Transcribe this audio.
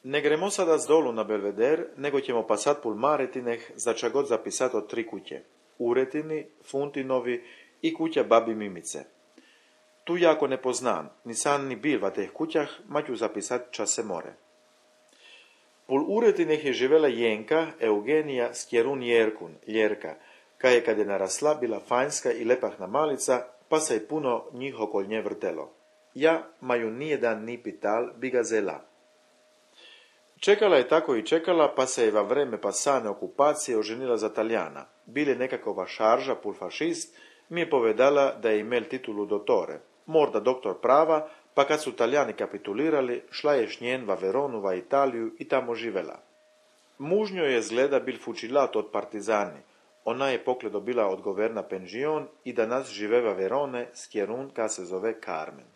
Ne gremo sada z dolu na Belveder, nego ćemo pa sad pul Maretineh za ča god zapisat od 3 kuće. Uretini, Funtinovi i kuća babi Mimice. Tu jako ne poznan, ni san ni bil va teh kućah, ma ću zapisat ča se more. Pul Uretineh je živela Jenka Eugenija Skjerun Jerkun, Ljerka, kaj je kad je narasla bila fanjska i lepahna malica, pa se je puno njih okol nje vrtelo. Ja, ma ju nijedan ni pital, bi ga zela. Čekala je tako i čekala, pa se je va vreme pasane okupacije oženila za Talijana. Bili nekakova šarža pul fašist, mi je povedala da je imel titulu dottore, morda doktor prava, pa kad su Talijani kapitulirali, šla je šnjen va Veronu va Italiju i tamo živela. Mužnjo je zgleda bil fučilat od partizani, ona je pokle dobila od governa penžion i danas živeva Verone, Skjerun, ka se zove Carmen.